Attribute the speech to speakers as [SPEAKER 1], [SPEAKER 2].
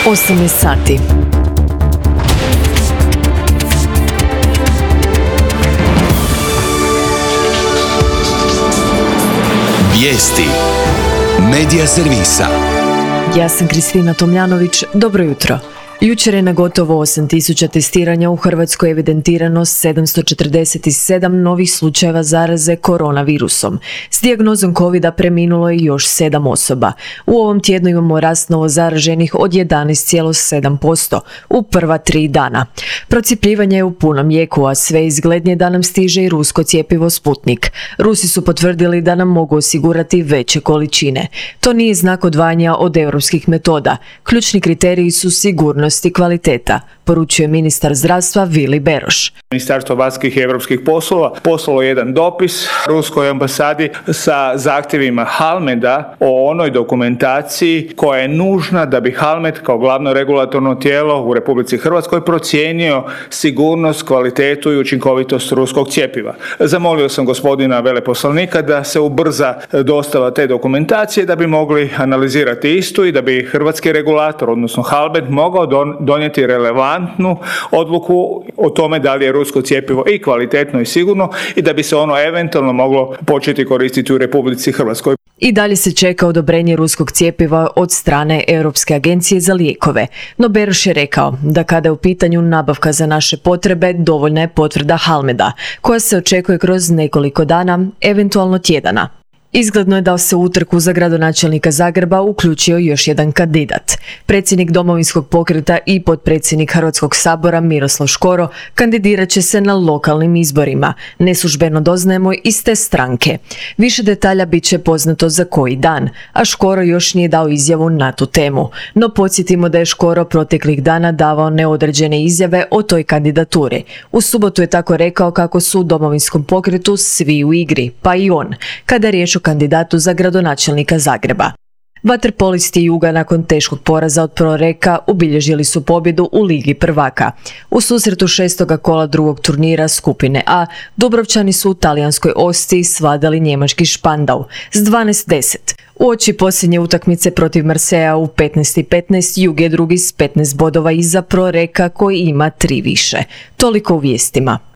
[SPEAKER 1] 8 sati.
[SPEAKER 2] Vijesti Medija servisa.
[SPEAKER 1] Ja sam Kristina Tomljanović, dobro jutro. Jučer je na gotovo 8.000 testiranja u Hrvatskoj evidentirano 747 novih slučajeva zaraze koronavirusom. S dijagnozom covida preminulo je još 7 osoba. U ovom tjednu imamo rast novo zaraženih od 11,7% u prva 3 dana. Procjepljivanje je u punom jeku, a sve izglednije da nam stiže i rusko cjepivo Sputnik. Rusi su potvrdili da nam mogu osigurati veće količine. To nije znak odvajanja od europskih metoda. Ključni kriteriji su sigurnost i kvaliteta, poručuje ministar zdravstva Vili Beroš.
[SPEAKER 3] Ministarstvo vanjskih i europskih poslova poslalo jedan dopis ruskoj ambasadi sa zahtjevima Halmeda o onoj dokumentaciji koja je nužna da bi Halmed kao glavno regulatorno tijelo u Republici Hrvatskoj procijenio sigurnost, kvalitetu i učinkovitost ruskog cjepiva. Zamolio sam gospodina veleposlanika da se ubrza dostava te dokumentacije da bi mogli analizirati istu i da bi hrvatski regulator, odnosno Halmed, mogao donijeti relevantnu odluku o tome da li je rusko cjepivo i kvalitetno i sigurno i da bi se ono eventualno moglo početi koristiti u Republici Hrvatskoj.
[SPEAKER 1] I dalje se čeka odobrenje ruskog cjepiva od strane Europske agencije za lijekove. No Beroš je rekao da kada je u pitanju nabavka za naše potrebe, dovoljna je potvrda Halmeda, koja se očekuje kroz nekoliko dana, eventualno tjedana. Izgledno je da se u utrku za gradonačelnika Zagreba uključio još jedan kandidat. Predsjednik Domovinskog pokreta i potpredsjednik Hrvatskog sabora Miroslav Škoro kandidirat će se na lokalnim izborima. Neslužbeno doznajemo iz te stranke. Više detalja bit će poznato za koji dan, a Škoro još nije dao izjavu na tu temu. No podsjetimo da je Škoro proteklih dana davao neodređene izjave o toj kandidaturi. U subotu je tako rekao kako su u Domovinskom pokretu svi u igri, pa i on, kada je riječ o kandidatu za gradonačelnika Zagreba. Vaterpolisti Juga nakon teškog poraza od Proreka obilježili su pobjedu u Ligi prvaka. U susretu 6. kola drugog turnira skupine A, Dubrovčani su u talijanskoj Ostii svladali njemački Špandau s 12:10. Uoči posljednje utakmice protiv Marseja u 15:15 Jug je drugi s 15 bodova iza Proreka koji ima 3 više. Toliko u vijestima.